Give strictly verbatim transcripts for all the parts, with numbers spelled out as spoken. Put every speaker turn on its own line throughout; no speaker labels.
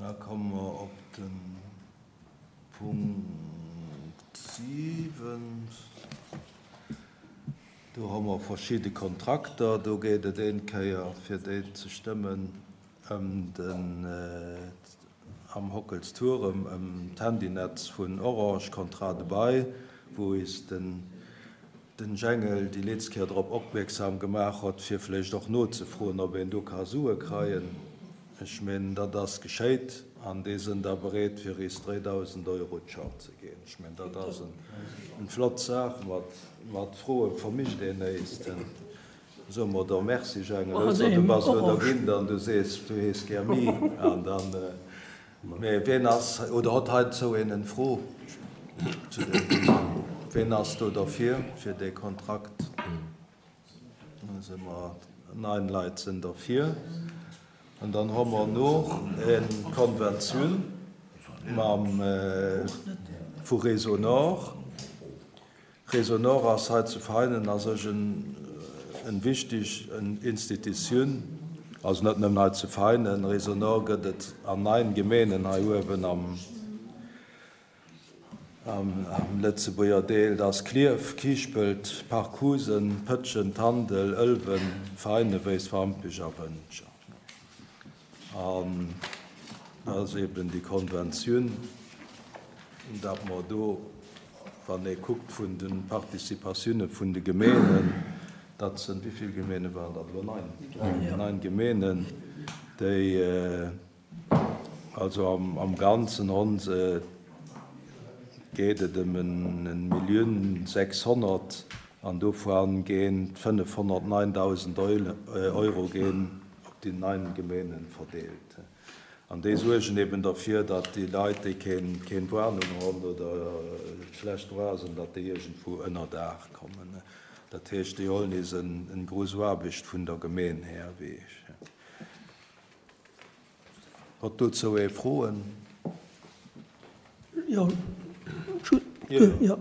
Da komme mer op de Punkt siwen. Do hu mer verschidde Kontrakter. Do geet et een Kéier, fir déi ze stëmmen, ëm den am Hockelstuerem, ëm d'Handynetz vun Orange, Contrat de bail, wou is den den Jengel déi letzte Kéier drop opmierksam gemaach hott, fir vläicht och nozefroen, ob een do ka Sue kreien. Ech mengen, dat ass geschéit an déi sinn da bereet, fir is dräidausend Euro d'Joer ze ginn. Ech mengen, dat ass eng flott Saach. Mat, mat Froe vermischt een näischt. Soe mer da Merci, Jengel, ausser du bass elo der ginn, dann du sees, du hees gär mi. An dann, mee wien ass, oder hott heizou een eng Fro zu deem Thema? Wien ass do derfir, fir dee Kontrakt? Da si mer, neun Leit sinn derfir. An dann hu mer noch eng Konventioun mam vu Réseau Nord. Réseau Nord ass hei zu Veinen a sech en, en wichteg Institutioun, also net nëmmen hei zu Veinen. Réseau Nord gëtt et an neun Gemeenen hei uewen am, am, am Lëtzebuerger Deel. Dat ass Klierf, Kiischpelt, Parc Housen, Pëtschent, Tandel, Ëlwen, Veinen, Weiswampech a Wëntger. An dat ass eben déi Konventioun, datt mer do, wann ee kuckt vun de Participatioune vun de Gemeenen, dat sinn, wéi vill Gemeene waren dat elo? Neun. Neun Gemeenen, déi also am, am Ganzen onse geet et ëm en Millioun sechshonnert an dovun ginn fënnefhonnertneundausend Euro ginn op déi neun Gemeenen verdeelt. An déi suergen eben derfir, datt déi Leit, déi keen, keen Warnung hunn oder schlecht dra sinn, datt déi iergendwou ënner Daach kommen. Dat heescht, déi holen is en, en grouss Aarbecht vun der Gemeen her, wéi ech. Hott dozou ee Froen?
Jo, jo.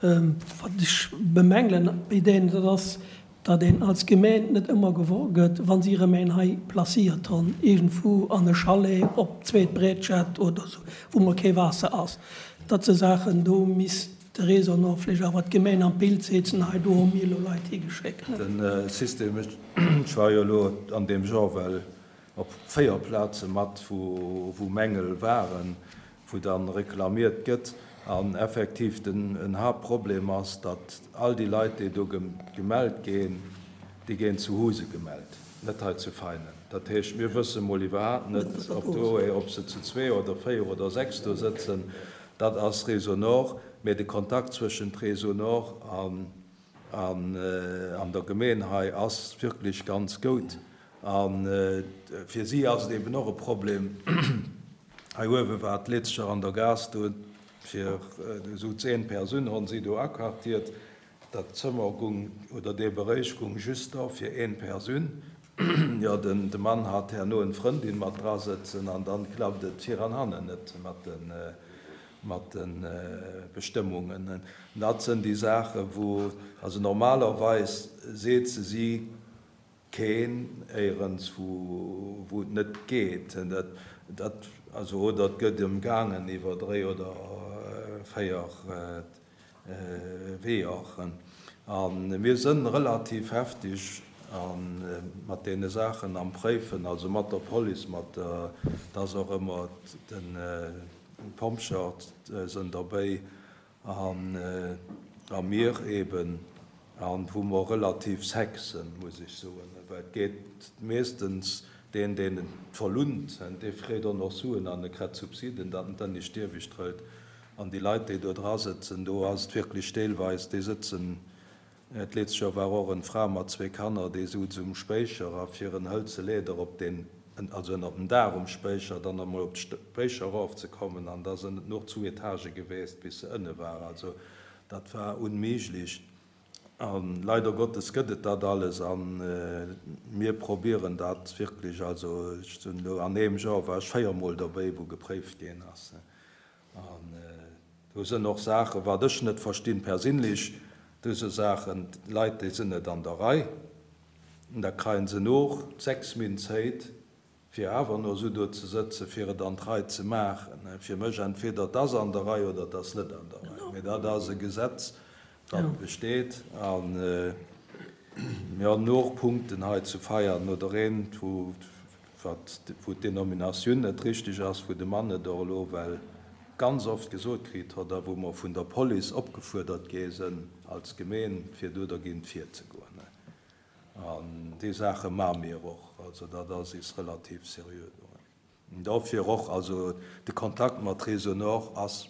Wat ech bemängelen bei deenen, dat ass, datt een als Gemeen net ëmmer gewor gëtt, wann si erëm een hei placéiert hunn, iergendwou an e Chalet op zweet Brétschett oder sou, wou mer kee Waasser ass. Dat se Saachen, do misst de Réseau Nord vläicht awer d'Gemeen am Bild setzen, hei do hu mir elo Leit higeschéckt.
Den System, ech war jo elo an deem Genre well op véier Plaze mat, wou, wou Mängel waren, wou dann reklamiert gëtt. An effektiv den en Haaptproblem ass, datt all déi Leit, déi do gemellt ginn, déi ginn zu Huse gemellt, net hei zu Veinen. Dat heescht, mir wësse mol iwwerhaapt net, ob do, ob se zu zwee oder véier oder sechs do sëtzen. Dat ass Réseau Nord, mee de Kontakt zwëschent Réseau Nord an, an, an der Gemeen hei ass wierklech ganz goud. An fir si ass et eben och e Problem. Hei uewe war d'Letzcher an der Gaass do, fir esou zehn Persounen hunn si do aquartiert. Dat Zëmmer gung, oder dee Beréich gung just da fir een Persoun. Jo, den, de Mann hat herno eng Frëndin mat dra sëtzen an dann klappt et vir an hannen net mat den, mat den Bestëmmungen. Dat sinn déi Saachen, wou, also normalerweis seet se si keen éierens, wou, wou et net geet. Dat, dat, also, oder et gëtt ëmgaangen iwwer dräi oder véier Weeër. An mir sinn relativ heftig an mat deene Saachen am Préifen, also mat der Police, mat der, dat ass och ëmmer den Pompjer sinn derbäi an, a mir eben, an wou mer relativ sec sinn, muss ech soen, well et geet meeschtens deen, deen et verlunt, dee freet och nach Suen an e kritt Subsiden, datt en dann nicht ewech trëllt. An déi Leit, déi do dra sëtzen, do ass et wierklech deelweis, déi sëtzen, d'letzt Joer war och eng Fra mat zwee Kanner, déi souz um Spéicher a fir en hëlze Leeder op den, also ënner den Daach um Spéicher, dann emol op d'Spéicher erofzekommen, an da sinn et noch zwou Etage gewiescht, bis se ënne war. Also dat war unméiglech. An leider Gottes gëtt et dat alles an mir probieren dat wierklech, also ech sinn elo an eem Joer war ech véiermol derbäi, wou gepréift ginn ass. An do sinn och Saachen, wat ech net verstinn perséinlech, do si Saachen, Leit, déi sinn net an der Rei, da kreien se noch sechs Méint Zäit, fir awer no esou do ze sëtzen, fir et an d'Rei ze maachen. Fir mech entweder et ass an der Rei oder et ass net an der Rei. Mee dat ass e Gesetz, dat besteet. A mir hunn och Punkten hei zu Veianen oder eent, wou wou d'Denominatioun net richteg ass, wou de Mann et och elo well ganz oft gesot kritt hott a wou mer vun der Police opgefuerdert gi sinn als Gemeen, fir do dergéint virzegoen. An déi Saache maache mir och. Also dat ass is relativ seriö do. Dofir och, also de Kontakt mat Réseau Nord ass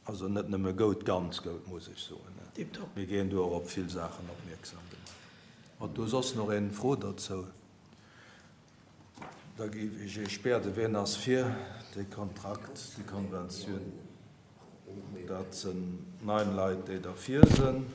also net nëmme goud, ganz goud, muss ech soen.
Tiptop.
Mir ginn do och op vill Saachen opmierksam gemaach. Huet do soss nach een Fro dozou? Da géif ech Iech bieden, wien ass fir dee Kontrakt, déi Konventioun? Dat sinn neun Leit, déi derfir sinn.